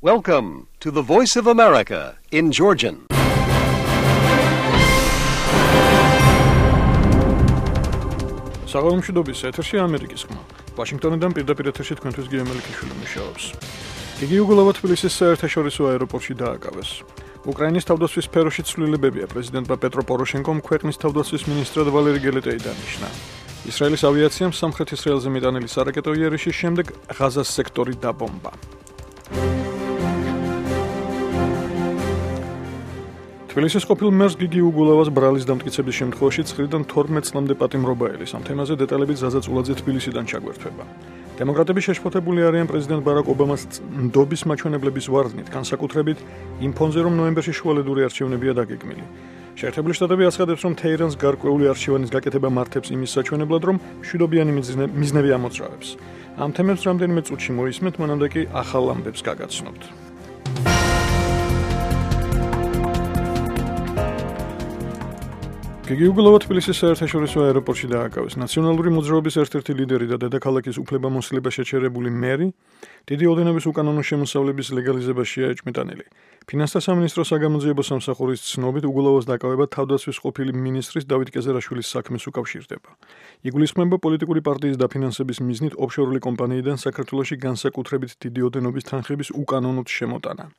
Welcome to the Voice of America in Georgian. საღამომშვიდობის ეთერში ამერიკის ხმა. ვაშინგტონიდან პირდაპირ ეთერში თქვენთვის გიემელიქიშვილი მუშაობს. იგი უგულავად თბილისის საერთაშორისო აეროპორტში დააკავეს. უკრაინის თავდაცვის სფეროში ცვლილებებია პრეზიდენტმა პეტრო პოროშენკომ ქვეყნის თავდაცვის მინისტრად ვალერი გელეტეი დანიშნა. ისრაელის ავიაციამ სამხრეთ ისრაელზე მიტანილი სარაკეტო იარიშის შემდეგ ღაზას სექტორი დაბომბა. თბილისის ყოფილ მერს გიგი უგულავას ბრალის დამტკიცების შემთხვევაში 9-დან 12 წლამდე პატიმრობა ელის. ამ თემაზე დეტალებით ზაზა წულაძე თბილისიდან ჩაგვერთვება. დემოკრატები შეშფოთებული არიან პრეზიდენტ ბარაკ ობამას ნდობის მაჩვენებლების ვარდნით, განსაკუთრებით იმ ფონზე, რომ ნოემბერში შუალედური არჩევნებია დაგეგმილი. შეერთებული შტატები აცხადებს, რომ თეირანს გარკვეული არჩევანის გაკეთება მართებს იმის საჩვენებლად, რომ მშვიდობიანი მიზნები ამოძრავებს. ამ თემებს რამდენიმე წუთში მოისმენთ, მანამდე კი ახალ ამბებს გაგაცნობთ. გიგი უგულავა თბილისის საერთაშორისო აეროპორტში დააკავეს. ნაციონალური მოძრაობის ერთ-ერთი ლიდერი და დედაქალაქის უფლებამოსილება შეჩერებული მერი დიდი ოდენობის უკანონო შემოსავლების ლეგალიზებაშია ეჭმიტანილი. ფინანსთა სამინისტროს საგამოძიებო სამსახურის ცნობით უგულავას დაკავება თავდაცვის ყოფილი მინისტრის დავით კეზერაშვილის საქმეს უკავშირდება. იგულისხმება პოლიტიკური პარტიის დაფინანსების მიზნით ოფშორული კომპანიიდან საქართველოში განსაკუთრებით დიდი ოდენობის თანხების უკანონოდ შემოტანა.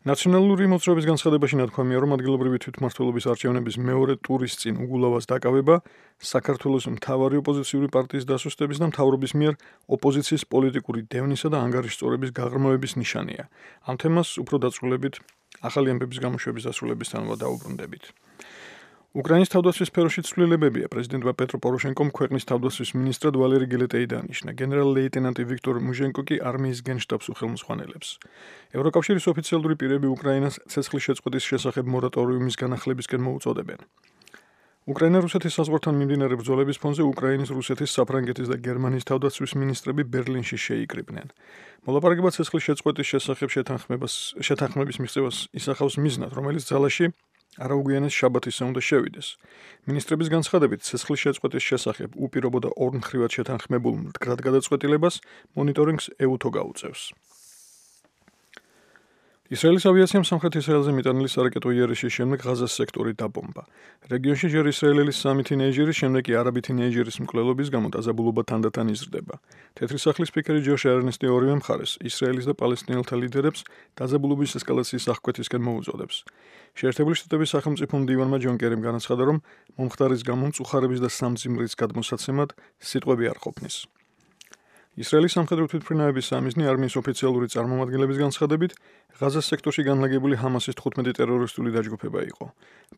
ნაციონალური მოძრაობის განცხადებაში ნათქვამია, რომ ადგილობრივი თვითმმართველობის არჩევნების მეორე ტურის წინ უგულავას დაკავება საქართველოს მთავარი ოპოზიციური პარტიის დასუსტების და მთავრობის მიერ ოპოზიციის პოლიტიკური დევნისა და ანგარიშწორების გაღრმავების ნიშანია. ამ თემას უფრო დაწვრილებით ახალი ამბების გამოშვების დასრულებისთანავე დაუბრუნდებით. უკრაინის თავდაცვის სფეროში ცვლილებებია პრეზიდენტმა პეტრო პოროშენკომ ქვეყნის თავდაცვის მინისტრად ვალერი გელეტეი დანიშნა. გენერალ-ლეიტენანტი ვიქტორ მუჟენკო კი არმიის გენშტაბს უხელმოსხმანელებს. ევროკავშირის ოფიციალური პირები უკრაინას ცეცხლის შეწყვეტის შესახებ მორატორიუმის განახლებისკენ მოუწოდებენ. უკრაინა-რუსეთის საზღვართან მიმდინარე ბრძოლების ფონზე უკრაინის, რუსეთის, საფრანგეთის და გერმანიის თავდაცვის მინისტრები ბერლინში შეიკრიბნენ. მოლაპარაკება ცეცხლის შეწყვეტის შესახებ შეთანხმების მიღწევას ისახავს მიზნად, რომელიც ძალაში არაუგვიანეს შაბათისზე უნდა შევიდეს. მინისტრების განცხადებით, ცეცხლის შეწყვეტის შესახებ უპირობო და ორმხრივად შეთანხმებულ მდგრად გადაწყვეტილებას მონიტორინგს ეუთო გაუწევს. ისრაელის ავიაციამ სამხრეთ ისრაელზე მიტანილი სარაკეტო იარიშის შემდეგ ღაზას სექტორი დაბომბა. რეგიონში ჯერ ისრაელელი 3 თინეიჯერის, შემდეგ კი არაბი თინეიჯერის მკვლელობის გამო დაზაბულობა თანდათან იზრდება. თეთრი სახლის სპიკერი ჯოშ ერნესტი ორივე მხარეს, ისრაელის და პალესტინელთა ლიდერებს დაზაბულობის ესკალაციის აღკვეთისკენ მოუწოდებს. შეერთებული შტატების სახელმწიფო მდივანმა ჯონ კერიმ განაცხადა, რომ მომხდარის გამო მწუხარების და სამძიმრის გადმოსაცემად სიტყვები არ ყოფნის. ისრაელის სამხედრო თვითმფრინავების სამიზნე არმიის ოფიციალური წარმომადგენლების განცხადებით, ღაზას სექტორში განლაგებული ჰამასის 15 ტერორისტული დაჯგუფება იყო.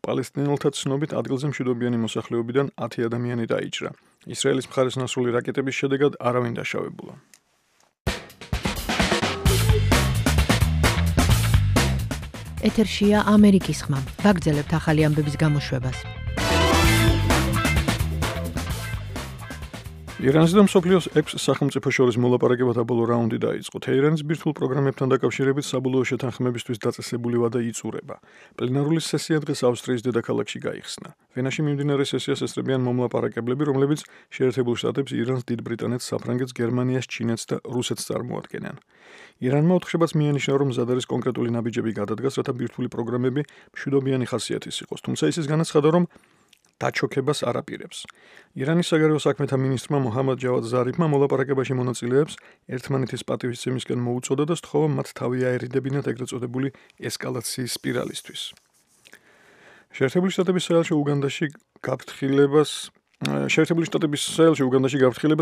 პალესტინელთა ცნობით ადგილზე მშვიდობიანი მოსახლეობიდან 10 ადამიანი დაიჭრა. ისრაელის მხარეს ნასრული რაკეტების შედეგად არავინ დაშავებულა. ეთერშია ამერიკის ხმა. ვაგრძელებთ ახალი ამბების გამოშვებას. ირანსა და მსოფლიოს 6 სახელმწიფო შორის მოლაპარაკებათა ბოლო რაუნდი დაიწყო. თეირანის ბირთვულ პროგრამებთან დაკავშირებით საბოლოო შეთანხმებისთვის დაწესებული ვადა იწურება. პლენარული სესია დღეს ავსტრიის დედაქალაქში გაიხსნა. ვენაში მიმდინარე სესიას ესწრებიან მომლაპარაკებლები, რომლებიც შეერთებულ შტატებს, ირანს, დიდ ბრიტანეთს, საფრანგეთს, გერმანიას, ჩინეთს და რუსეთს წარმოადგენენ. ირანმა ოთხშაბათს მიანიშნა, რომ მზად არის კონკრეტული ნაბიჯები გადადგას, რათა ბირთვული პროგრამები მშვიდობიანი ხასიათის იყოს. თუმცა ისიც განაცხადა, რომ დაჩოქებას არ აპირებს. ირანის საგარეო საქმეთა მინისტრმა მოჰამად ჯავად ზარიფმა მოლაპარაკებაში მონაწილეებს ერთმანეთის პატივისცემისკენ მოუწოდა და სთხოვა მათ თავი აერიდებინათ ეგრეთ წოდებული ესკალაციის სპირალისთვის. შეერთებული შტატების საელჩო უგანდაში გაფრთხილებას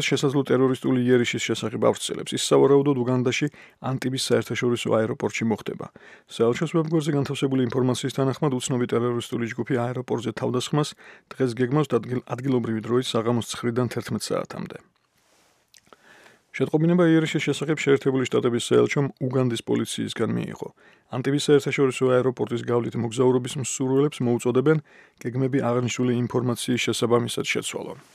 შესაძლო ტერორისტული იარიშის შესახებ ავრცელებს. ის სავარაუდოდ უგანდაში ანტიბის საერთაშორისო აეროპორტში მოხდება. საელჩოს ვებგვერდზე განთავსებული ინფორმაციის თანახმად უცნობი ტერორისტული ჯგუფი აეროპორტზე თავდასხმას დღეს გეგმავს ადგილობრივი დროით საღამოს 9-დან 11 საათამდე. შეტყობინება იარიშის შესახებ შეერთებული შტატების საელჩომ უგანდის პოლიციისგან მიიღო. ანტიბის საერთაშორისო აეროპორტის გავლით მოგზაურობის მსურველებს მოუწოდებენ გეგმები აღნიშნული ინფორმაციის შესაბამისად შეცვალონ.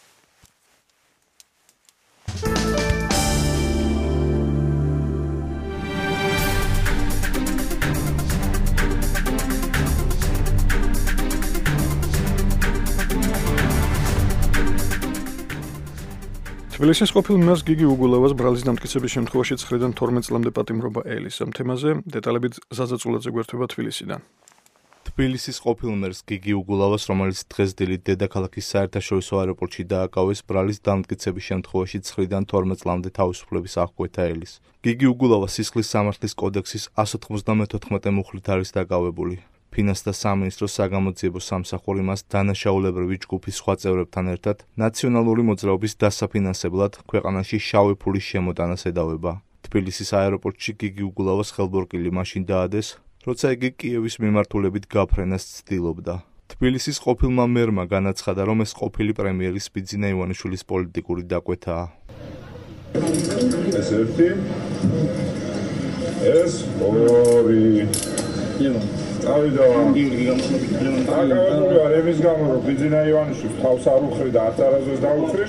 თბილისის ყოფილ მერს გიგი უგულავას ბრალის დამტკიცების შემთხვევაში 9-დან 12 წლამდე პატიმრობა ელის. ამ თემაზე დეტალებით ზაზა წულაძე გვერდება თბილისიდან. თბილისის ყოფილ მერს გიგი უგულავას, რომელიც დღეს დილით დედაქალაქის საერთაშორისო აეროპორტში დააკავეს, ბრალის დამტკიცების შემთხვევაში 9-დან 12 წლამდე თავისუფლების აღკვეთა ელის. გიგი უგულავა სისხლის სამართლის კოდექსის 194 მუხლით არის დაკავებული. ფინანსთა სამინისტროს საგამოძიებო სამსახური მას დანაშაულებრივი ჯგუფის სხვა წევრებთან ერთად ნაციონალური მოძრაობის დასაფინანსებლად ქვეყანაში შავი ფულის შემოტანას ედავება. თბილისის აეროპორტში გიგი უგულავას ხელბორკილი მაშინ დაადეს, როცა იგი კიევის მიმართულებით გაფრენას ცდილობდა. თბილისის ყოფილმა მერმა განაცხადა, რომ ეს ყოფილი პრემიერის ბიძინა ივანიშვილის პოლიტიკური დაკვეთაა. ეს ერთი, ეს ორი. ემის გამო რომ ბიძინა ივანიშვილს თავს არ უხრი და არც არასდროს დაუხრი.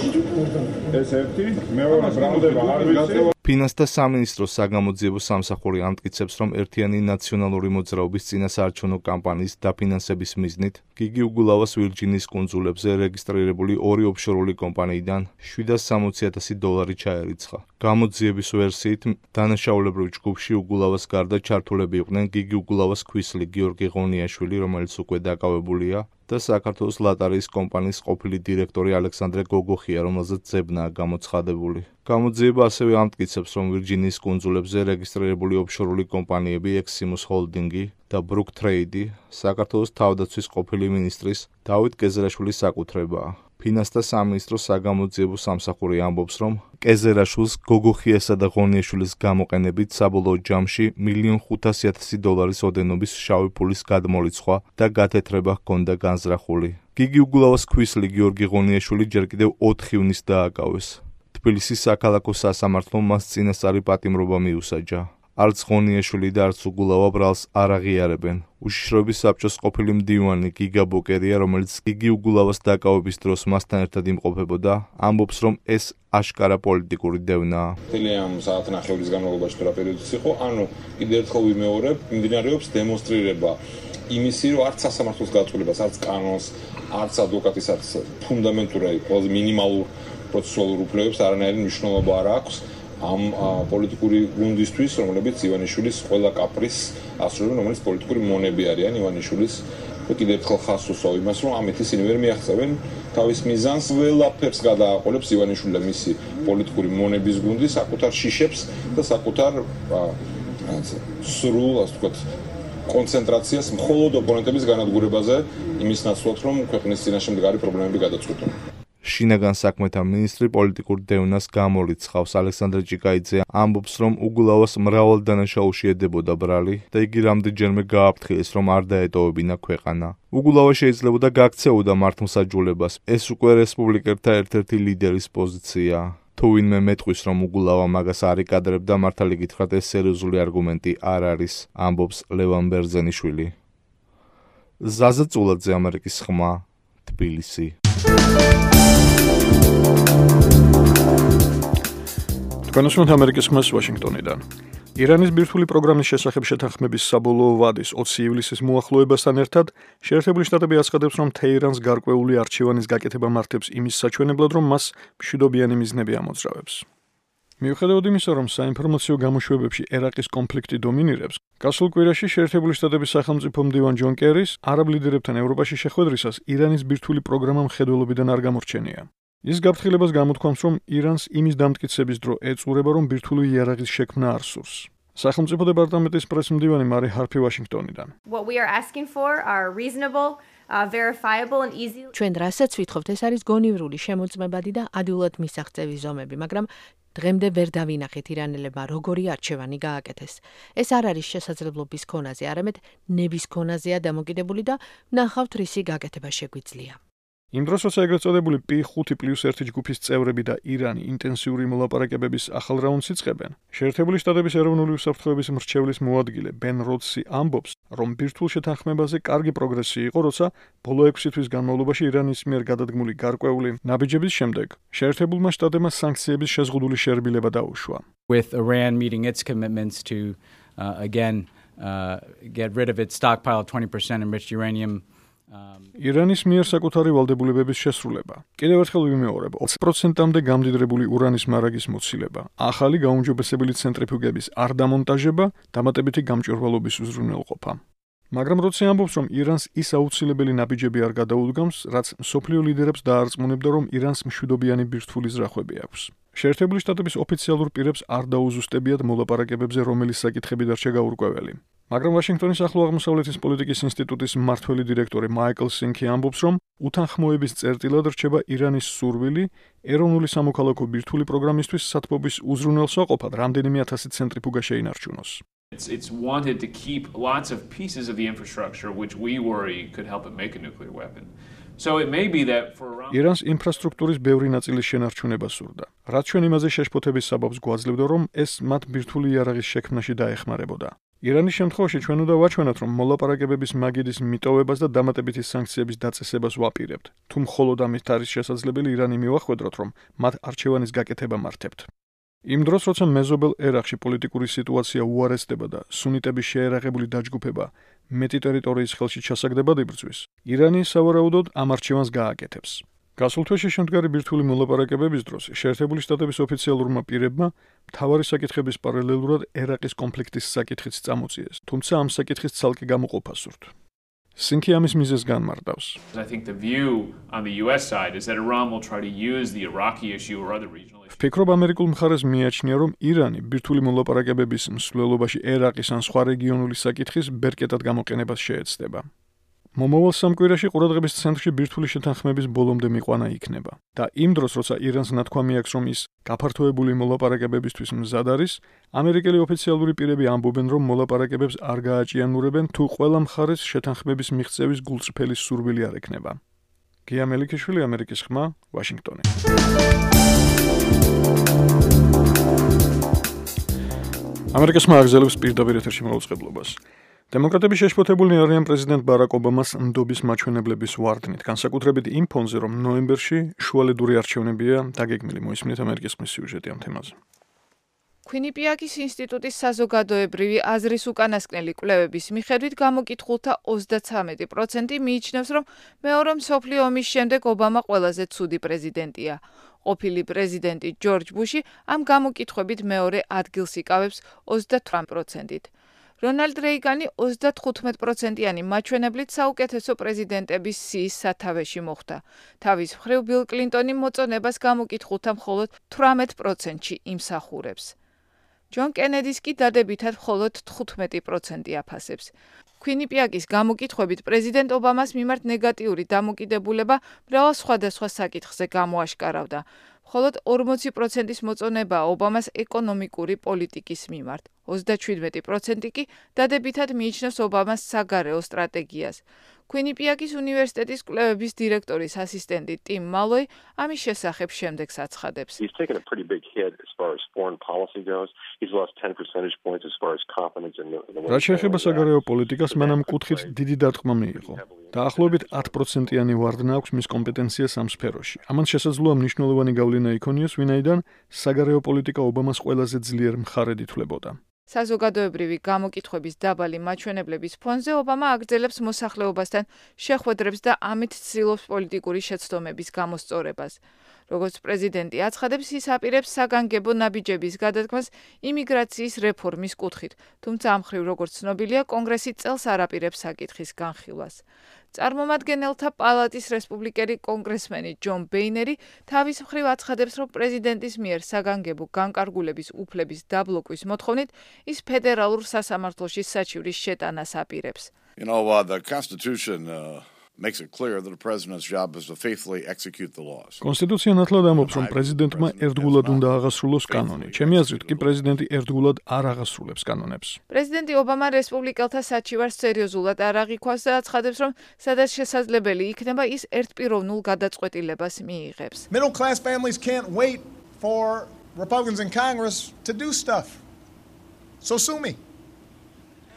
ეს ერთი, მეორე ბრალდება არ ვიცი. ფინანსთა სამინისტროს საგამოძიებო სამსახური ამტკიცებს, რომ ერთიანი ნაციონალური მოძრაობის წინასაარჩევნო კამპანიის დაფინანსების მიზნით გიგი უგულავას ვირჯინის კუნძულებზე რეგისტრირებული ორი ოფშორული კომპანიიდან $760,000 ჩაერიცხა. გამოძიების ვერსიით, დანაშაულებრივ ჯგუფში უგულავას გარდა ჩართულები იყვნენ გიგი უგულავას ქვისლი გიორგი ღონიაშვილი, რომელიც უკვე დაკავებულია, და საქართველოს ლატარიის კომპანიის ყოფილი დირექტორი ალექსანდრე გოგოხია, რომელზეც ძებნაა გამოცხადებული. გამოძიება ასევე ამტკიცებს, რომ ვირჯინიის კუნძულებზე რეგისტრირებული ოფშორული კომპანიები ექსიმუს ჰოლდინგი და ბრუკ ტრეიდი საქართველოს თავდაცვის ყოფილი მინისტრის დავით კეზერაშვილის საკუთრებაა. ფინანსთა სამინისტროს საგამოძიებო სამსახური ამბობს, რომ კეზერაშვილს გოგოხიასა და ღონიაშვილის გამოყენებით საბოლოო ჯამში $1,500,000 ოდენობის შავი ფულის გადმორიცხვა და გათეთრება ჰქონდა განზრახული. გიგი უგულავას ქვისლი გიორგი ღონიაშვილი ჯერ კიდევ 4 ივნისს დააკავეს. თბილისის საქალაქო სასამართლომ მას წინასწარი პატიმრობა მიუსაჯა. არც ღონიაშვილი და არც უგულავა ბრალს არ აღიარებენ. უშიშროების საბჭოს ყოფილი მდივანი გიგა ბოკერია, რომელიც გიგი უგულავას დაკავების დროს მასთან ერთად იმყოფებოდა, ამბობს, რომ ეს აშკარა პოლიტიკური დევნაა. მთელი ამ საათნახევრის განმავლობაში თუ რა პერიოდიც იყო, ანუ კიდევ ერთხელ ვიმეორებ, მიმდინარეობს დემონსტრირება იმისი, რომ არც სასამართლოს გაწყვეტილებას, არც კანონს, არც ადვოკატის, არც ფუნდამენტური, ყველაზე მინიმალურ პროცესუალურ უფლებებს არანაირი მნიშვნელობა არ აქვს ამ პოლიტიკური გუნდისთვის, რომლებიც ივანიშვილის ყველა კაპრისს ასრულებენ, რომელიც პოლიტიკური მონები არიან ივანიშვილის. კიდევ ერთხელ ხაზს უსვავ იმას, რომ ამით ისინი ვერ მიაღწევენ თავის მიზანს, ყველაფერს გადააყოლებს ივანიშვილი და მისი პოლიტიკური მონების გუნდი საკუთარ შიშებს და საკუთარ სრულ, ასე ვთქვათ, კონცენტრაციას მხოლოდ ოპონენტების განადგურებაზე, იმის ნაცვლად, რომ ქვეყნის წინაშე მდგარი პრობლემები გადაწყვეტონ. შინაგან საქმეთა მინისტრი პოლიტიკურ დევნას გამორიცხავს. ალექსანდრე ჭიკაიძე ამბობს, რომ უგულავას მრავალ დანაშაულში ედებოდა ბრალი და იგი რამდენჯერმე გააფრთხილეს, რომ არ დაეტოვებინა ქვეყანა. უგულავა შეიძლებოდა გაქცეოდა მართლმსაჯულებას. ეს უკვე რესპუბლიკელთა ერთ-ერთი ლიდერის პოზიციაა. თუ ვინმე მეტყვის, რომ უგულავა მაგას არ იკადრებდა, მართალი გითხრათ, ეს სერიოზული არგუმენტი არ არის, ამბობს ლევან ბერძენიშვილი. ზაზა წულაძე, ამერიკის ხმა, თბილისი. თქვენოსმოთ ამერიკის ხმას ვაშინგტონიდან. ირანის ბირთვული პროგრამის შესახებ შეთანხმების საბოლოო ვადის 20 ივლისის მოახლოებასთან ერთად შეერთებული შტატები აცხადებს, რომ თეირანს გარკვეული არჩევანის გაკეთება მართებს იმის საჩვენებლად, რომ მას მშვიდობიანი მიზნები ამოძრავებს. მიუხედავად იმისა, რომ საინფორმაციო გამოშვებებში ერაყის კონფლიქტი დომინირებს, გასულ კვირაში შეერთებული შტატების სახელმწიფო მდივან ჯონ კერის არაბ ლიდერებთან ევროპაში შეხვედრისას ირანის ბირთვული პროგრამა მხედველობიდან არ გამორჩენია. ის გაფრთხილებას გამოთქვამს, რომ ირანს იმის დამტკიცების დრო ეწურება, რომ ბირთვული იარაღის შექმნა არ სურს. სახელმწიფო დეპარტამენტის პრესმდივანი მარი ჰარფი ვაშინგტონიდან. What we are asking for are reasonable, verifiable and easy. ჩვენ რასაც ვითხოვთ, ეს არის გონივრული, შემოწმებადი და ადვილად მისაღწევი ზომები, მაგრამ დღემდე ვერ დავინახეთ ირანელებმა როგორი არჩევანი გააკეთეს. ეს არ არის შესაძლებლობის ქონაზე, არამედ ნების ქონაზეა დამოკიდებული და ნახავთ რისი გაკეთება შეგვიძლია. იმ დროს, როცა ეგრეთ წოდებული P5+1 ჯგუფის წევრები და ირანი ინტენსიური მოლაპარაკებების ახალ რაუნდს იწყებენ, შეერთებული შტატების ეროვნული უსაფრთხოების მრჩევლის მოადგილე ბენ როდსი ამბობს, რომ ბირთვულ შეთანხმებაზე კარგი პროგრესი იყო, როცა ბოლო 6 თვის განმავლობაში ირანის მიერ გადადგმული გარკვეული ნაბიჯების შემდეგ შეერთებულმა შტატებმა სანქციების შეზღუდული შერბილება დაუშვა. With Iran meeting its commitments to again get rid of its stockpile of 20% enriched uranium ირანის მიერ საკუთარი ვალდებულებების შესრულება. კიდევ ერთხელ ვიმეორებ, 20%-მდე გამდიდრებული ურანის მარაგის მოცილება, ახალი გაუმჯობესებელი ცენტრიფუგების არ დამონტაჟება, დამატებითი გამჭვირვალობის უზრუნველყოფა. მაგრამ როცა ამბობს, რომ ირანს ის აუცილებელი ნაბიჯები არ გადაუდგამს, რაც მსოფლიო ლიდერებს დაარწმუნებდა, რომ ირანს მშვიდობიანი ბირთვული ზრახვები აქვს. შეერთებული შტატების ოფიციალურ პირებს არ დაუზუსტებიათ მოლაპარაკებებზე, რომელი საკითხები დარჩა გაურკვეველი. მაგრამ ვაშინგტონის ახლო აღმოსავლეთის პოლიტიკის ინსტიტუტის მმართველი დირექტორი მაიკლ სინკი ამბობს, რომ უთანხმოების წერტილად რჩება ირანის სურვილი ეროვნული სამოქალაქო ბირთვული პროგრამისთვის სათბობის უზრუნველსაყოფად რამდენიმე ათასი ცენტრიფუგა შეინარჩუნოს. It's wanted to keep lots of pieces of the infrastructure which we worry could help it make a nuclear weapon. So it may be that for around ირანს ინფრასტრუქტურის ბევრი ნაწილის შენარჩუნება სურდა. რაც ჩვენ იმაზე შეშფოთების საბაბს გვაძლევდა, რომ ეს მათ ბირთვული იარაღის შექმნაში დაეხმარებოდა. ირანის შემთხვევაში ჩვენ უნდა ვაჩვენოთ, რომ მოლაპარაკებების მაგიდის მიტოვებას და დამატებითი სანქციების დაწესებას ვაპირებთ. თუ მხოლოდ ამით არის შესაძლებელი, ირანი მივახვედროთ, რომ მათ არჩევანის გაკეთება მართებთ. იმ დროს, როცა მეზობელ ერაყში პოლიტიკური სიტუაცია უარესდება და სუნიტების შეერაღებული დაჯგუფება მეტი ტერიტორიის ხელში ჩასაგდებად იბრძვის, ირანი სავარაუდოდ ამ არჩევანს გააკეთებს. გასულ თვეში შემდგარი ბირთვული მოლაპარაკებების დროს შეერთებული შტატების ოფიციალურმა პირებმა მთავარი საკითხების პარალელურად ერაყის კონფლიქტის საკითხიც წამოწიეს, თუმცა ამ საკითხის ცალკე გამოყოფა სურთ. სინკი ამის მიზეზს განმარტავს. I think the view on the US side is that Iran will try to use the Iraqi issue or other regional issues. ვფიქრობ, ამერიკულ მხარეს მიაჩნია, რომ ირანი ბირთვული მოლაპარაკებების მსვლელობაში ერაყის ან სხვა რეგიონული საკითხის ბერკეტად გამოყენებას შეეცდება. მომავალ სამკვირაში ყურადღების ცენტრში ბირთვული შეთანხმების ბოლომდე მიყვანა იქნება და იმ დროს, როცა ირანს ნათქვამი აქვს, რომ ის გაფართოებული მოლაპარაკებებისთვის მზად არის, ამერიკელი ოფიციალური პირები ამბობენ, რომ მოლაპარაკებებს არ გააჭიანურებენ, თუ ყველა მხარეს შეთანხმების მიღწევის გულწრფელი სურვილი არ ექნება. გია მელიქიშვილი, ამერიკის ხმა, ვაშინგტონი. ამერიკის ხმა აგზელებს პირდაპირ ეთერში მოუწყებლობას. დემოკრატები შეშფოთებულნი არიან პრეზიდენტ ბარაკ ობამას ნდობის მაჩვენებლების ვარდნით, განსაკუთრებით იმ ფონზე, რომ ნოემბერში შუალედური არჩევნებია დაგეგმილი. მოისმინეთ ამერიკის ხმის სიუჟეტი ამ თემაზე. ქვინიპიაკის ინსტიტუტის საზოგადოებრივი აზრის უკანასკნელი კვლევების მიხედვით გამოკითხულთა 33% მიიჩნევს, რომ მეორე მსოფლიო ომის შემდეგ ობამა ყველაზე ცუდი პრეზიდენტია. ყოფილი პრეზიდენტი ჯორჯ ბუში ამ გამოკითხვებით მეორე ადგილს იკავებს 28%-ით. რონალდ რეიგანი 35%-იანი მაჩვენებლით საუკეთესო პრეზიდენტების სიის სათავეში მოხვდა. თავის მხრივ ბილ კლინტონი მოწონებას გამოკითხულთა მხოლოდ 18%-ში იმსახურებს. ჯონ კენედის კი დადებითად მხოლოდ 15% აფასებს. ქვინიპიაკის გამოკითხვებით პრეზიდენტ ობამას მიმართ ნეგატიური დამოკიდებულება მრავალ სხვადასხვა საკითხზე გამოაშკარავდა. მხოლოდ 40%-ის მოწონება ობამას ეკონომიკური პოლიტიკის მიმართ. 37% კი დადებითად მიიჩნევს ობამას საგარეო სტრატეგიას. ქვინიპიაკის უნივერსიტეტის კვლევების დირექტორის ასისტენტი ტიმ მალოი ამის შესახებ შემდეგს აცხადებს. He's taken a pretty big hit as far as foreign policy goes. He's lost 10 percentage points as far as confidence in the რაც შეეხება საგარეო პოლიტიკას, მან კუთხით დიდი დარტყმა მიიღო. დაახლოებით 10%-იანი ვარდნა აქვს მის კომპეტენციას ამ სფეროში. ამან შესაძლოა მნიშვნელოვანი გავლენა იქონიოს, ვინაიდან საგარეო პოლიტიკა ობამას ყველაზე ძლიერ მხარედ ითვლებოდა. საზოგადოებრივი გამოკითხვების დაბალი მაჩვენებლების ფონზე ობამა აგრძელებს მოსახლეობასთან შეხვედრებს და ამით ცდილობს პოლიტიკური შეცდომების გამოსწორებას. როგორც პრეზიდენტი აცხადებს, ის აპირებს საგანგებო ნაბიჯების გადადგმას იმიგრაციის რეფორმის კუთხით, თუმცა ამ მხრივ, როგორც ცნობილია, კონგრესი წელს არ აპირებს საკითხის განხილვას. წარმომადგენელთა პალატის რესპუბლიკელი კონგრესმენი ჯონ ბეინერი თავის მხრივ აცხადებს, რომ პრეზიდენტის მიერ საგანგებო განკარგულების უფლების დაბლოკვის მოთხოვნით ის ფედერალურ სასამართლოში საჩივრის შეტანას აპირებს. The Constitution makes it clear that the president's job is to faithfully execute the laws. კონსტიტუცია ნათლად ამბობს, რომ პრეზიდენტმა ერთგულად უნდა აღასრულოს კანონი. ჩემი აზრით, კი პრეზიდენტი ერთგულად არ აღასრულებს კანონებს. პრეზიდენტი ობამა რესპუბლიკელთა საჩივარს სერიოზულად არ აღიქვას და აცხადებს, რომ სადაც შესაძლებელი იქნება, ის ერთპიროვნულ გადაწყვეტილებას მიიღებს. Middle class families can't wait for Republicans in Congress to do stuff. So sue me.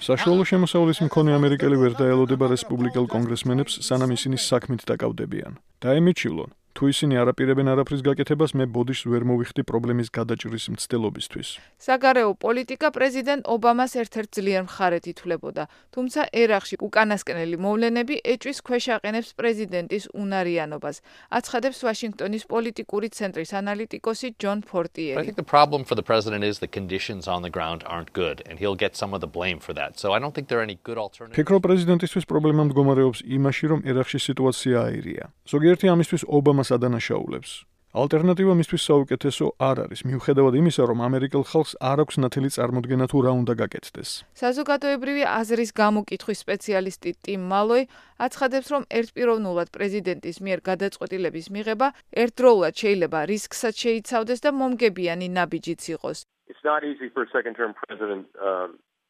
საშუალო შემოსავლის მქონე ამერიკელი ვერ დაელოდება რესპუბლიკელ კონგრესმენებს, სანამ ისინი საქმით დაკავდებიან. და ემიჩივლონ, თუ ისინი არაპირებენ არაფრის გაკეთებას, მე ბოდიშს ვერ მოვიხდი პრობლემის გადაჭრის მცდელობისთვის. საგარეო პოლიტიკა პრეზიდენტ ობამას ერთ-ერთ ძლიერ მხარედ ითვლებოდა, თუმცა ერაყში უკანასკნელი მოვლენები ეჭვის ქვეშ აყენებს პრეზიდენტის უნარიანობას, აცხადებს ვაშინგტონის პოლიტიკური ცენტრის ანალიტიკოსი ჯონ ფორტიერი. I think the problem for the president is the conditions on the ground aren't good and he'll get some of the blame for that. So I don't think there are any good alternatives. ფიქრობ პრეზიდენტისთვის პრობლემა მდგომარეობს იმაში, რომ ერაყში სიტუაცია აირია. ზოგიერთი ამისთვის ობამას ადანაშაულებს. ალტერნატივა მისთვის საუკეთესო არ არის, მიუხედავად იმისა, რომ ამერიკელ ხალხს არ აქვს ნათელი წარმოდგენა თუ რა უნდა გაკეთდეს. საზოგადოებრივი აზრის გამოკითხვის სპეციალისტი ტიმ მალოი აცხადებს, რომ ერთპიროვნულად პრეზიდენტის მიერ გადაწყვეტილების მიღება ერთდროულად შეიძლება რისკსაც შეიცავდეს და მომგებიანი ნაბიჯიც იყოს. It's not easy for a second-term president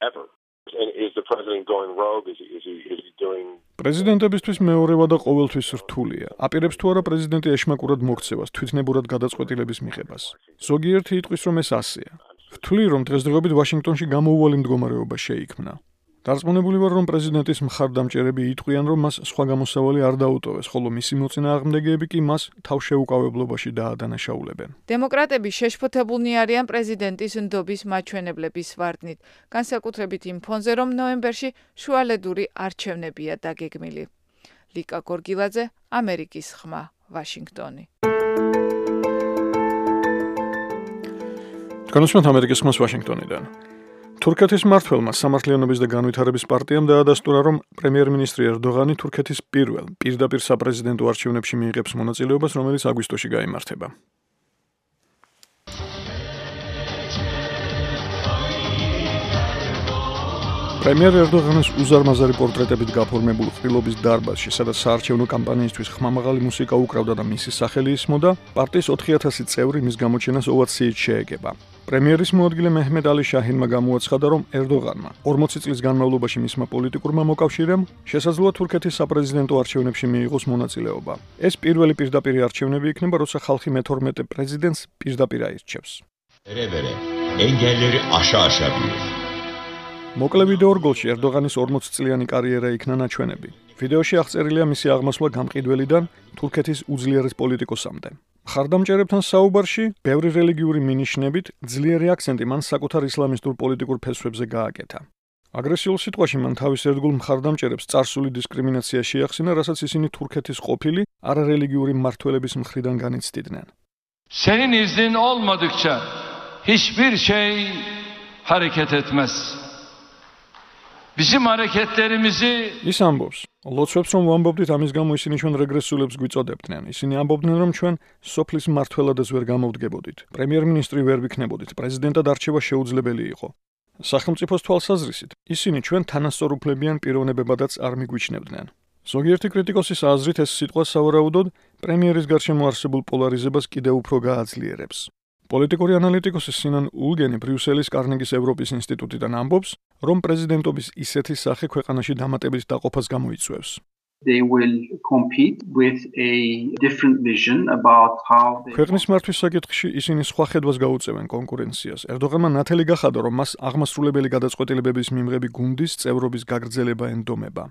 ever. And is the president going rogue? Is he doing? პრეზიდენტებისთვის მეორევა და ყოველთვის რთულია. აპირებს თუ არა პრეზიდენტი ეშმაკურად მოქცევას, თვითნებურად გადაწყვეტილების მიღებას. ზოგიერთი იტყვის, რომ ეს ასეა. ვთვლი, რომ დღესდღეობით ვაშინგტონში გამოუვალი მდგომარეობა შეიქმნა. დარწმუნებული ვარ, რომ პრეზიდენტის მხარდამჭერები იტყვიან, რომ მას სხვა გამოსავალი არ დაუტოვეს, ხოლო მისი მოწინააღმდეგეები კი მას თავშეუკავებლობაში დაადანაშაულებენ. დემოკრატები შეშფოთებულნი არიან პრეზიდენტის ნდობის მაჩვენებლების ვარდნით, განსაკუთრებით იმ ფონზე, რომ ნოემბერში შუალედური არჩევნებია დაგეგმილი. ლიკა გორგილაძე, ამერიკის ხმა, ვაშინგტონი. განსვენთ ამერიკის ხმას ვაშინგტონიდან. თურქეთის მმართველმა სამართლიანობის და განვითარების პარტიამ დაადასტურა, რომ პრემიერ-მინისტრი ერდოღანი თურქეთის პირველ პირდაპირ საპრეზიდენტო არჩევნებში მიიღებს მონაწილეობას, რომელიც აგვისტოში გაიმართება. პრემიერ ერდოღანის უზარმაზარი პორტრეტებით გაფორმებულ ყრილობის დარბაზში, სადაც საარჩევნო კამპანიისთვის ხმამაღალი მუსიკა უკრავდა და მისი სახელი ისმოდა, პარტიის 4000 წევრი მის გამოჩენას ოვაციით შეეგება. პრემიერის მოადგილე მეჰმედ ალი შაჰინმა გამოაცხადა, რომ ერდოღანმა 40 წლის განმავლობაში მისმა პოლიტიკურმა მოკავშირემ შესაძლოა თურქეთის საპრეზიდენტო არჩევნებში მიიღოს მონაწილეობა. ეს პირველი პირდაპირი არჩევნები იქნება, როცა ხალხი მე-12 პრეზიდენტს პირდაპირ აირჩევს. ენგელleri aşağı bilir. მოკლე ვიდეო რგოლში ერდოღანის 40 წლიანი კარიერა იქნა ნაჩვენები. ვიდეოში აღწერილია მისი აღმასვლა გამყიდველიდან თურქეთის უძლიერეს პოლიტიკოსამდე. მხარდამჭერებთან საუბარში, ბევრი რელიგიური მინიშნებით, ძლიერი აქცენტი მან საკუთარ ისლამისტურ პოლიტიკურ ფესვებზე გააკეთა. აგრესიულ სიტყვაში მან თავის ერთგულ მხარდამჭერებს წარსული დისკრიმინაცია შეახსენა, რასაც ისინი თურქეთის ყოფილი არარელიგიური მმართველების მხრიდან განიცდიდნენ. Senin iznin olmadıkça hiçbir şey hareket etmez. Bizim hareketlerimizi ის ამბობს, ლოცვებს რომ ვამბობდით, ამის გამო ისინი ჩვენ რეგრესულებს გვიწოდებდნენ. ისინი ამბობდნენ, რომ ჩვენ სოფლის მმართველადაც ვერ გამოვდგებოდით. პრემიერ-მინისტრი ვერ ვიქნებოდით, პრეზიდენტად არჩევა შეუძლებელი იყო. სახელმწიფოს თვალსაზრისით, ისინი ჩვენ თანასწორუფლებიან პიროვნებებადაც არ მიგვიჩნევდნენ. ზოგიერთი კრიტიკოსის აზრით ეს სიტყვა სავარაუდოდ პრემიერის გარშემო არსებულ პოლარიზებას კიდევ უფრო გააძლიერებს. პოლიტიკური ანალიტიკოსი სინან ულგენი ბრიუსელის კარნეგის ევროპის ინსტიტუტიდან ამბობს, რომ პრეზიდენტობის ისეთი სახე ქვეყანაში დამატებით დაყოფას გამოიწვევს. They will compete with a different vision about how they ქვეყნის მართვის საკითხში ისინი სხვა ხედვას გაუწევენ კონკურენციას. ერდოღანმა ნათელი გახადა, რომ მას აღმასრულებელი გადაწყვეტილებების მიმღები გუნდის წევრობის გაგრძელება ენდომება.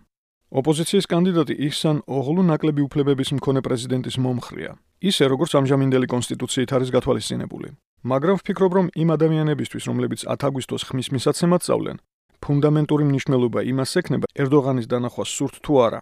ოპოზიციის კანდიდატი იჰსან ოღლუ ნაკლები უფლებების მქონე პრეზიდენტის მომხრეა. ისე, როგორც ამჟამინდელი კონსტიტუციით არის გათვალისწინებული. მაგრამ ვფიქრობ, რომ იმ ადამიანებისთვის, რომლებიც 10 აგვისტოს ხმის მისაცემად სწავლენ, ფუნდამენტური მნიშვნელობა იმას ექნება, ერდოღანის დანახვა სურთ თუ არა.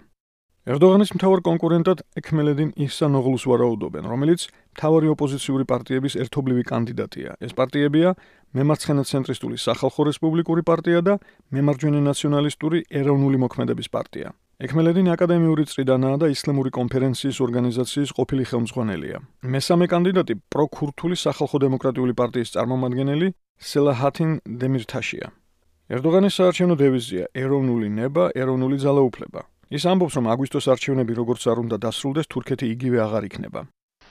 ერდოღანის მთავარ კონკურენტად ექმელედინ იჰსან ოღლუს ვარაუდობენ, რომელიც მთავარი ოპოზიციური პარტიების ერთობლივი კანდიდატია. ეს პარტიებია მემარცხენე ცენტრისტული სახალხო რესპუბლიკური პარტია და მემარჯვენე ნაციონალისტური ეროვნული მოქმედების პარტია. ექმელედინი აკადემიური წრიდანაა და ისლამური კონფერენციის ორგანიზაციის ყოფილი ხელმძღვანელია. მესამე კანდიდატი პროქურთული სახალხო დემოკრატიული პარტიის წარმომადგენელი სელაჰათინ დემირთაშია. ერდოღანის საარჩევნო დევიზია ეროვნული ნება, ეროვნული ძალაუფლება. ის ამბობს, რომ აგვისტოს არჩევნები როგორც არ უნდა დასრულდეს, თურქეთი იგივე აღარ იქნება.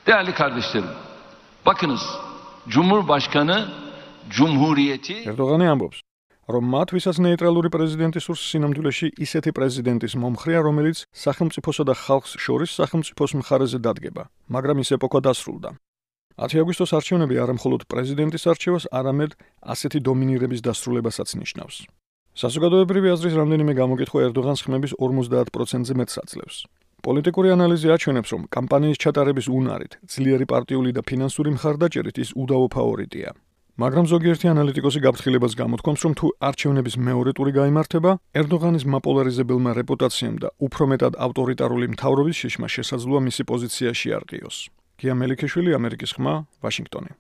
Değerli kardeşlerim, bakınız, Cumhurbaşkanı Cumhuriyeti ერდოღანი ამბობს, რომ მათ ვისაც ნეიტრალური პრეზიდენტი სურს სინამდვილეში ისეთი პრეზიდენტის მომხრეა, რომელიც სახელმწიფოსა და ხალხს შორის სახელმწიფოს მხარეზე დადგება, მაგრამ ის ეპოქა დასრულდა. 10 აგვისტოს არჩევნები არა მხოლოდ პრეზიდენტის არჩევას, არამედ ასეთი დომინირების დასრულებასაც ნიშნავს. საზოგადოებრივი აზრის რამდენიმე გამოკითხვა ერდოღანს ხმების 50%-ზე მეტს აძლევს. პოლიტიკური ანალიზი აჩვენებს, რომ კამპანიის ჩატარების უნარით, ძლიერი პარტიული და ფინანსური მხარდაჭერით ის უდავო ფავორიტია. მაგრამ ზოგიერთი ანალიტიკოსი გაფრთხილებას გამოთქვამს, რომ თუ არჩევნების მეორე ტური გაიმართება, ერდოღანის მაპოლარიზებელმა რეპუტაციამ და უფრო მეტად ავტორიტარული მთავრობის შეშმა შესაძლოა მისი პოზიცია შეარყიოს. გია მელიქიშვილი, ამერიკის ხმა, ვაშინგტონი.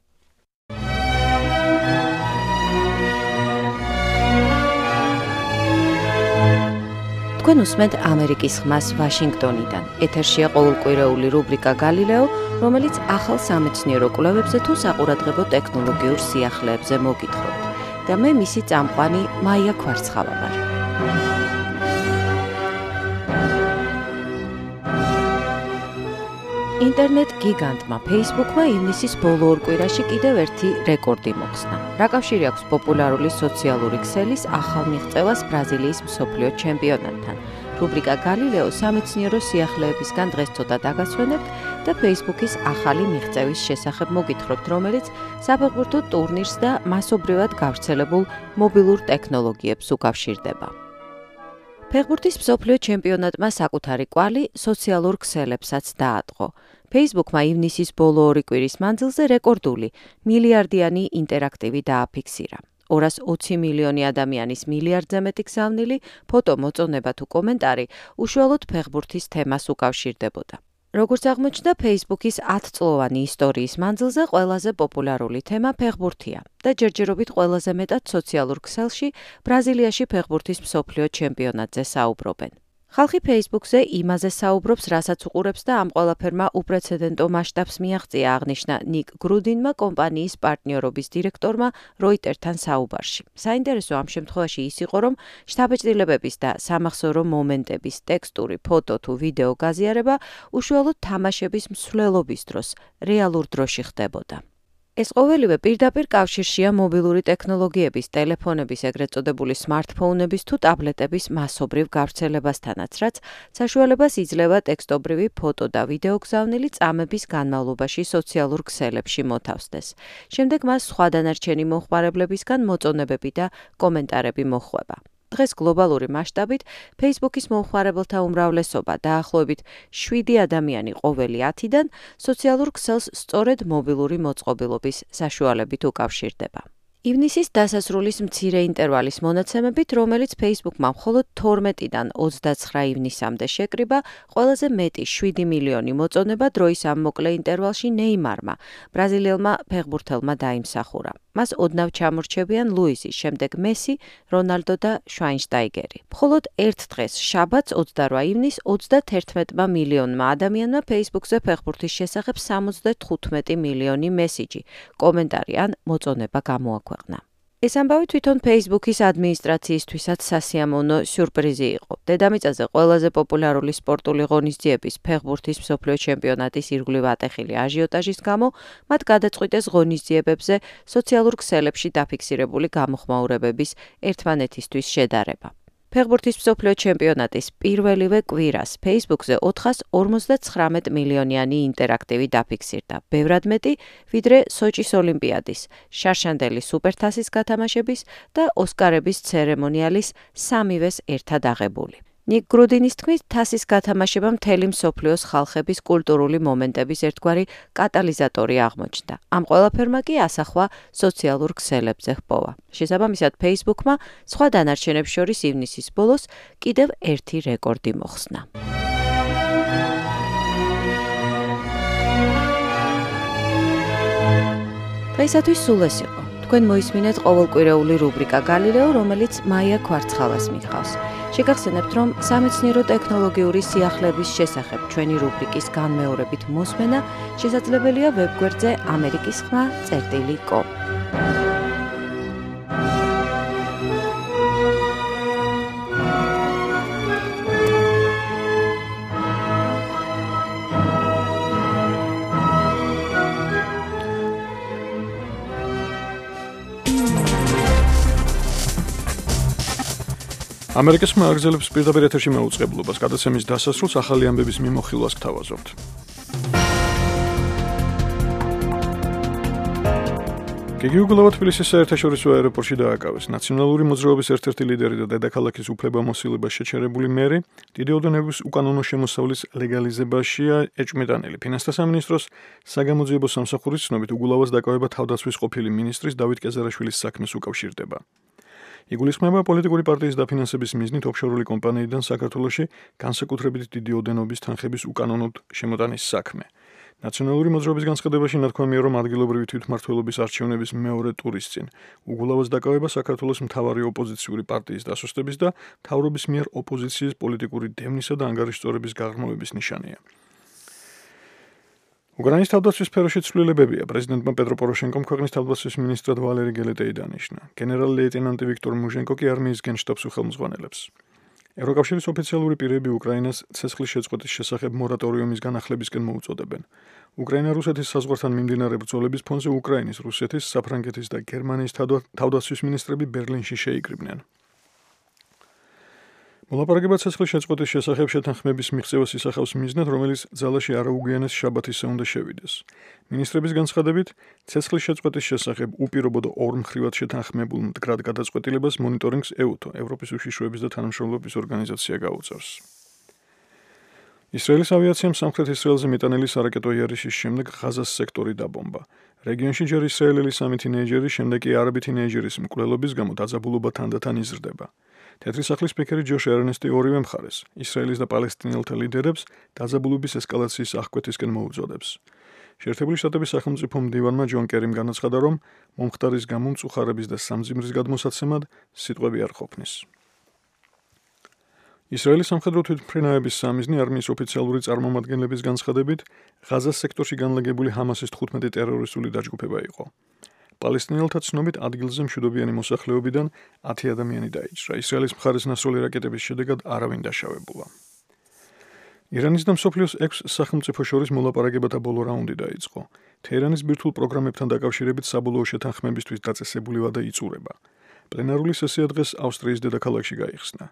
თქვენ უსმენთ ამერიკის ხმას ვაშინგტონიდან. ეთერშია ყოველკვირეული რუბრიკა გალილეო, რომელიც ახალ სამეცნიერო კვლევებზე თუ საყურადღებო ტექნოლოგიურ სიახლეებზე მოგითხრობთ. და მე მისი წამყვანი მაია ქვარცხავა ვარ. ინტერნეტ გიგანტმა Facebook-მა ივნისის ბოლო ორ კვირაში კიდევ ერთი რეკორდი მოხსნა. რა კავშირი აქვს პოპულარული სოციალური ქსელის ახალ მიღწევას ბრაზილიის მსოფლიო ჩემპიონატთან? რუბრიკა გალილეო სამეცნიერო სიახლეებისგან დღეს ცოტა დაგასვენებთ და Facebook-ის ახალი მიღწევის შესახებ მოგითხრობთ, რომელიც საფეხბურთო ტურნირს და მასობრივად გავრცელებულ მობილურ ტექნოლოგიებს უკავშირდება. ფეხბურთის მსოფლიო ჩემპიონატმა საკუთარი კვალი სოციალურ ქსელებსაც დაატყო. Facebook-მა ივნისის ბოლო ორი კვირის მანძილზე რეკორდული მილიარდიანი ინტერაქტივი დააფიქსირა. 220 მილიონი ადამიანის მილიარდზე მეტი გზავნილი ფოტო, მოწონება თუ კომენტარი უშუალოდ ფეხბურთის თემას უკავშირდებოდა. როგორც აღმოჩნდა, Facebook-ის 10 წლოვანი ისტორიის მანძილზე ყველაზე პოპულარული თემა ფეხბურთია და ჯერჯერობით ყველაზე მეტად სოციალურ ქსელში ბრაზილიაში ფეხბურთის მსოფლიო ჩემპიონატზე საუბრობენ. ხალხი Facebook-ზე იმაზე საუბრობს, რასაც უყურებს და ამ ყველაფერმა უპრეცედენტო მასშტაბს მიაღწია, აღნიშნა ნიკ გრუდინმა კომპანიის პარტნიორობის დირექტორმა როიტერთან საუბარში. საინტერესო ამ შემთხვევაში ის იყო, რომ შთაბეჭდილებების და სამახსოვრო მომენტების ტექსტური, ფოტო თუ ვიდეო გაზიარება უშუალოდ თამაშების მსვლელობის დროს, რეალურ დროში ხდებოდა. ეს ყოველივე პირდაპირ კავშირშია მობილური ტექნოლოგიების, ტელეფონების, ეგრეთ წოდებული სმარტფონების თუ ტაბლეტების მასობრივ გავრცელებასთანაც, რაც საშუალებას იძლევა ტექსტობრივი ფოტო და ვიდეო გზავნილი წამების განმავლობაში სოციალურ ქსელებში მოთავსდეს. შემდეგ მას სხვა დანარჩენი მომხმარებლებისგან მოწონებები და კომენტარები მოჰყვება. დღეს გლობალური მასშტაბით Facebook-ის მომხმარებელთა უმრავლესობა დაახლოებით 7 ადამიანი ყოველი 10-დან სოციალურ ქსელს სწორედ მობილური მოწყობილობის საშუალებით უკავშირდება. ივნისის დასასრულის მცირე ინტერვალის მონაცემებით, რომელიც Facebook-მა მხოლოდ 12-დან 29 ივნისამდე შეკრიბა, ყველაზე მეტი 7 მილიონი მოწონება დროის ამ მოკლე ინტერვალში ნეიმარმა, ბრაზილიელმა ფეხბურთელმა დაიმსახურა. მას ოდნავ ჩამორჩებიან ლუისი, შემდეგ მესი, რონალდო და შვაინშტაიგერი. მხოლოდ ერთ დღეს, შაბათს 28 ივნისს 31 მილიონმა ადამიანმა Facebook-ზე ფეხბურთის შესახებ 75 მილიონი მესიჯი, კომენტარი ან მოწონება გამოაქვეყნა. ეს ამბავი თვითონ Facebook-ის ადმინისტრაციისთვისაც სასიამოვნო სიურპრიზი იყო. დედამიწაზე ყველაზე პოპულარული სპორტული ღონისძიების ფეხბურთის მსოფლიო ჩემპიონატის ირგვლივ ატეხილი აჟიოტაჟის გამო მათ გადაწყვიტეს ღონისძიებებზე სოციალურ ქსელებში დაფიქსირებული გამოხმაურებების ერთმანეთისთვის შედარება. ფეხბურთის მსოფლიო ჩემპიონატის პირველივე კვირას Facebook-ზე 459 მილიონიანი ინტერაქტივი დაფიქსირდა, ბევრად მეტი, ვიდრე სოჭის ოლიმპიადის, შარშანდელი სუპერთასის გათამაშების და ოსკარების ცერემონიალის სამივეს ერთად აღებული. ნიკ გრუდინის თქმით, თასის გათამაშება მთელი მსოფლიოს ხალხების კულტურული მომენტების ერთგვარი კატალიზატორი აღმოჩნდა. ამ ყველაფერმა კი ასახვა სოციალურ ქსელებზე ჰპოვა. შესაბამისად, Facebook-მა სხვა დანარჩენებს შორის ივნისის ბოლოს კიდევ ერთი რეკორდი მოხსნა. დღეისათვის სულ ეს იყო. თქვენ მოისმინეთ ყოველკვირეული რუბრიკა გალილეო, რომელიც მაია ქვარცხავას მიჰყავს. შეგახსენებთ, რომ სამეცნიერო ტექნოლოგიური სიახლეების შესახებ ჩვენი რუბრიკის განმეორებით მოსმენა შესაძლებელია ვებგვერდზე amerikiskhma.com. ამერიკის ხმა აგრძელებს პირდაპირ ეთერში მეუწყებლობას, გადაცემის დასასრულს ახალი ამბების მიმოხილვას გთავაზობთ. გიგი უგულავა თბილისის საერთაშორისო აეროპორტში დააკავეს. ნაციონალური მოძრაობის ერთ-ერთი ლიდერი და დედაქალაქის უფლებამოსილებას შეჩერებული მერი დიდი ოდენობის უკანონო შემოსავლის ლეგალიზებაშია ეჭვმეტანილი. ფინანსთა სამინისტროს საგამოძიებო სამსახურის ცნობით უგულავას დაკავება თავდაცვის ყოფილი მინისტრის დავით კეზარაშვილის საქმეს უკავშირდება. იგულისხმება პოლიტიკური პარტიის დაფინანსების მიზნით ოფშორული კომპანიიდან საქართველოში განსაკუთრებით დიდი ოდენობის თანხების უკანონოდ შემოტანის საქმე. ნაციონალური მოძრაობის განცხადებაში ნათქვამია, რომ ადგილობრივი თვითმმართველობის არჩევნების მეორე ტურის წინ უგულავას დაკავება საქართველოს მთავარი ოპოზიციური პარტიის დასუსტების და მთავრობის მიერ ოპოზიციის პოლიტიკური დევნისა და ანგარიშწორების გაღრმავების ნიშანია. უკრაინის თავდაცვის სფეროში ცვლილებებია. პრეზიდენტმა პეტრო პოროშენკომ ქვეყნის თავდაცვის მინისტრად ვალერი გელეტეი დანიშნა. გენერალ-ლეიტენანტი ვიქტორ მუჟენკო კი არმიის გენშტაბს უხელმძღვანელებს. ევროკავშირის ოფიციალური პირები უკრაინას ცეცხლის შეწყვეტის შესახებ მორატორიუმის განახლებისკენ მოუწოდებენ. უკრაინა-რუსეთის საზღვართან მიმდინარე ბრძოლების ფონზე უკრაინის, რუსეთის, საფრანგეთის და გერმანიის თავდაცვის მინისტრები ბერლინში შეიკრიბნენ. მოლაპარაკება ცეცხლის შეწყვეტის შესახებ შეთანხმების მიღწევას ისახავს მიზნად, რომელიც ძალაში არაუგვიანეს შაბათისზე უნდა შევიდეს. მინისტრების განცხადებით, ცეცხლის შეწყვეტის შესახებ უპირობო და ორმხრივად შეთანხმებულ მდგრად გადაწყვეტილებას მონიტორინგს EUTO, ევროპის უშიშროების და თანამშრომლობის ორგანიზაცია გაუწევს. ისრაელის ავიაციამ სამხრეთ ისრაელზე მეტანილი სარაკეტო იარიშის შემდეგ ღაზას სექტორი დაბომბა. რეგიონში ჯერ ისრაელელი 3 თინეიჯერი, შემდეგ კი არაბი თინეიჯერის მკვლელობის გამო დაძაბულობა თანდათან იზრდება. თეთრი სახლის სპიკერი ჯოშ ერნესტი ორივე მხარეს, ისრაელის და პალესტინელთა ლიდერებს დაძაბულობის ესკალაციის აღკვეთისკენ მოუწოდებს. შეერთებული შტატების სახელმწიფო მდივანმა ჯონ კერიმ განაცხადა, რომ მომხდარის გამო მწუხარების და სამძიმრის გადმოსაცემად სიტყვები არ ყოფნის. ისრაელის სამხედრო თვითმფრინავების სამიზნე არმიის ოფიციალური წარმომადგენლების განცხადებით, ღაზას სექტორში განლაგებული ჰამასის 15 ტერორისტული დაჯგუფება იყო. პალესტინელთა ცნობით ადგილზე მშვიდობიანი მოსახლეობიდან 10 ადამიანი დაიჭრა. ისრაელის მხარის ნასროლი რაკეტების შედეგად არავინ დაშავებულა. ირანის და მსოფლიოს 6 სახელმწიფო შორის მოლაპარაკებათა ბოლო რაუნდი დაიწყო. თეირანის ბირთვულ პროგრამებთან დაკავშირებით საბოლოო შეთანხმებისთვის დაწესებული ვადა იწურება. პლენარული სესია დღეს ავსტრიის დედაქალაქში გაიხსნა.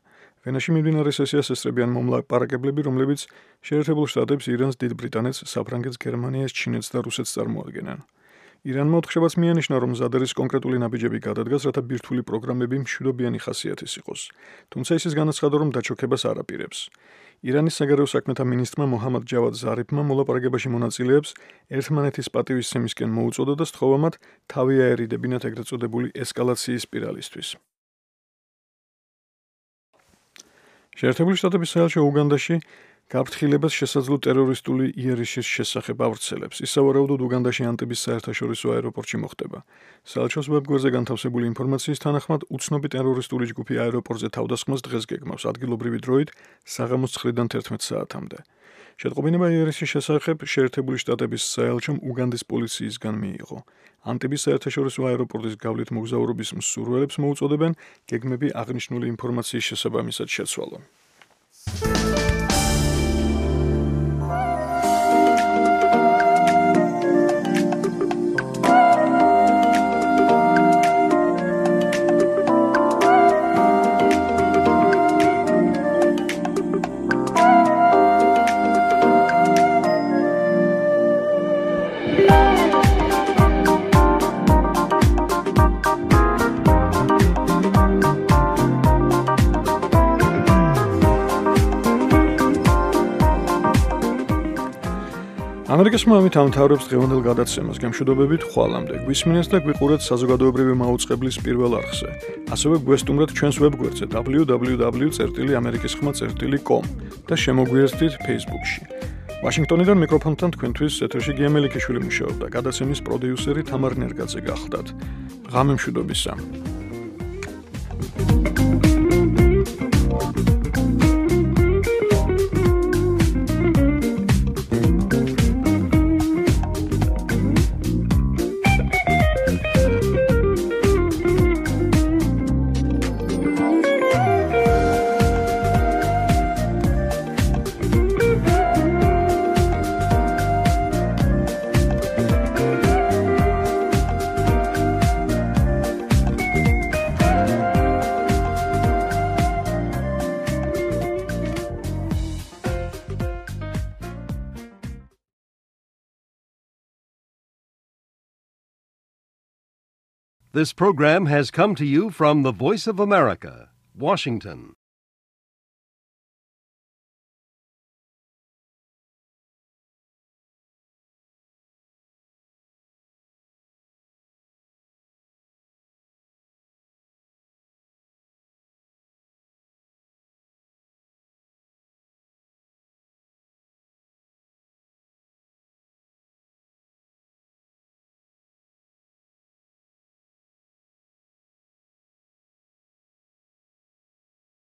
ვენაში მიმდინარე სესიას ესწრებიან მომლაპარაკებლები, რომლებიც შეერთებულ შტატებს, ირანს, დიდ ბრიტანეთს, საფრანგეთს, გერმანიას, ჩინეთს და რუსეთს წარმოადგენენ. ირანმა ოთხშაბათს მიანიშნა, რომ მზად არის კონკრეტული ნაბიჯები გადადგას, რათა ბირთვული პროგრამები მშვიდობიანი ხასიათის იყოს. თუმცა ის განაცხადა, რომ დაჩოქებას არ აპირებს. ირანის საგარეო საქმეთა მინისტრმა მოჰამად ჯავად ზარიფმა მოლაპარაკებაში მონაწილეებს ერთმანეთის პატივისცემისკენ მოუწოდა და სთხოვა მათ თავი აერიდებინათ ეგრეთ წოდებული ესკალაციის სპირალისთვის. შეერთებული შტატების საელჩო უგანდაში გაფრთხილებას შესაძლო ტერორისტული იარიშის შესახებ ავრცელებს. ის სავარაუდოდ უგანდაში ანტების საერთაშორისო აეროპორტში მოხდება. საელჩოს ვებგვერდზე განთავსებული ინფორმაციის თანახმად, უცნობი ტერორისტული ჯგუფი აეროპორტზე თავდასხმას დღეს გეგმავს ადგილობრივი დროით საღამოს 9-დან 11 საათამდე. შეტყობინება იარიშის შესახებ შეერთებული შტატების საელჩომ უგანდის პოლიციისგან მიიღო. ანტების საერთაშორისო აეროპორტის გავლით მოგზაურობის მსურველებს მოუწოდებენ გეგმები აღნიშნული ინფორმაციის შესაბამისად შეცვალონ. ამერიკის მომით ამთავრებს დღევანდელ გადაცემას გემშვიდობებით ხვალამდე. გვისმინეთ და გვიყურეთ საზოგადოებრივი მაუწყებლის პირველ არხზე. ასევე გვესტუმრეთ ჩვენს ვებგვერდზე www.amerikisxma.com და შემოგვიერთდით Facebook-ში. ვაშინგტონიდან მიკროფონთან თქვენთვის ეთერში გია მელიქიშვილი მუშაობდა. გადაცემის პროდიუსერი თამარ ნერგაძე გახლდათ. ღამე მშვიდობისა. This program has come to you from the Voice of America, Washington.